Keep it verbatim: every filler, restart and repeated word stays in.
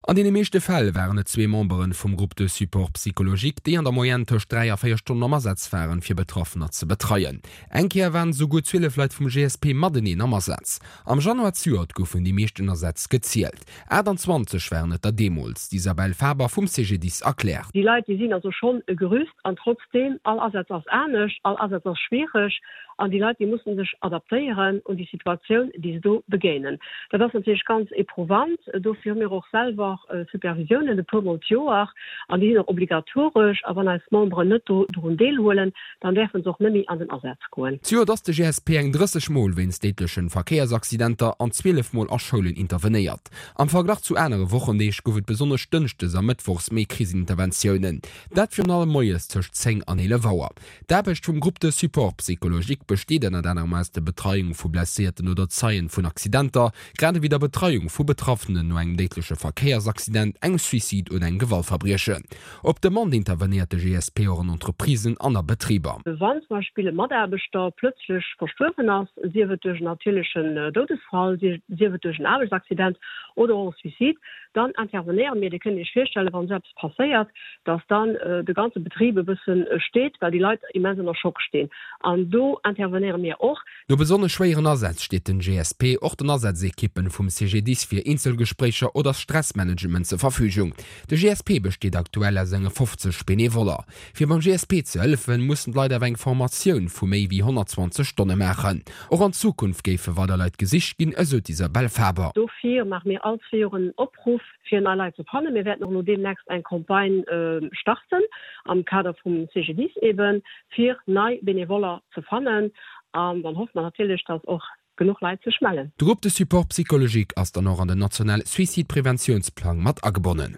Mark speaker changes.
Speaker 1: An deene meeschte Fäll waren et zwee Membere vum Groupe de support psychologique, déi an der Moyenne tëscht dräi a véier Stonnen am Asaz waren, fir Betraffener ze betreien. Eng Kéier waren esouguer zwielef Leit vum G S P mateneen am Asaz. Am Januar zejoert goufen déi meeschten Asätz gezielt. aachtanzwanzeg waren et der deemools. D'Isabelle Faber vum C G D I S erkläert.
Speaker 2: Déi Leit, déi sinn also schonn e Gerüst an trotzdeem, all Asaz ass anescht, all Asaz ass schwiereg an déi Leit, déi mussen sech adaptéieren un déi Situatioun, déi se do begéinen. Dat ass natierlech ganz éprouvant. Dofir hu mir och selwer Supervisiounen e puermol d'Joer an déi sinn och obligatoresch a wann eis Memberen net do drun deelhuelen, dann däerfe se och net méi an den Asaz goen.
Speaker 1: Zejoert ass de G S P eng drësseg Mol wéinst déidleche Verkéiersaccidenter an zwielef Mol a Schoulen intervenéiert. Am Verglach zu anere Wochendeeg gouf et besonnesch dënschdes a mëttwochs méi Kriseninterventiounen. Dat virun allem moies tëscht zéng an eelef Auer. D'Aarbecht vum Groupe de support psychologique besteet ënnert anerem aus der Betreiung vu Blesséierten oder Zeien vun Accidenter, grad ewéi der Betreiung vu Betraffenen no engem déidleche Verkéiersaccident, engem Suicide oder engem Gewaltverbriechen. Op Demande intervenéiert de G S P och an Entreprisen an a Betriber.
Speaker 2: Wann zum Beispill e Mataarbechter plötzlech verstuerwen ass, sief et duerch en natierlechen Doudesfall, sief et duerch en Aarbechtsaccident oder och e Suicide, dann intervenéiere mir. Dir kënnt Iech virstellen, wann esou eppes passéiert, dass dann de ganze Betrib e bësse steet, well déi Leit immens ënner Schock stinn. An do intervenéiere mir och.
Speaker 1: No besonnesch schwéieren Asätz steet den G S P och den Asazekippen vum C G D I S fir Eenzelgespréicher oder Stressmanagement zur Verfügung. De G S P besteet aktuell aus enge fofzeg Benevoller. Fir beim G S P ze hëllefen, mussen d'Leit awer eng Formatioun vu méi wéi honnertzwanzeg Stonne maachen. Och an Zukunft géife weider Leit gesicht ginn, esou d'Isabelle Faber.
Speaker 2: Dofir maache mir all zwee Joer en Opruff, fir nei Leit ze fannen. Mir wäerten och elo deemnächst eng Campagne starten, am Kader vum C G D I S eben, fir nei Benevoller ze fannen. An dann hoffe mer natierlech, dass och genuch Leit sech mellen.
Speaker 1: De Groupe de support psychologique ass dann och an den nationale Suicide-Preventiounsplang mat agebonnen.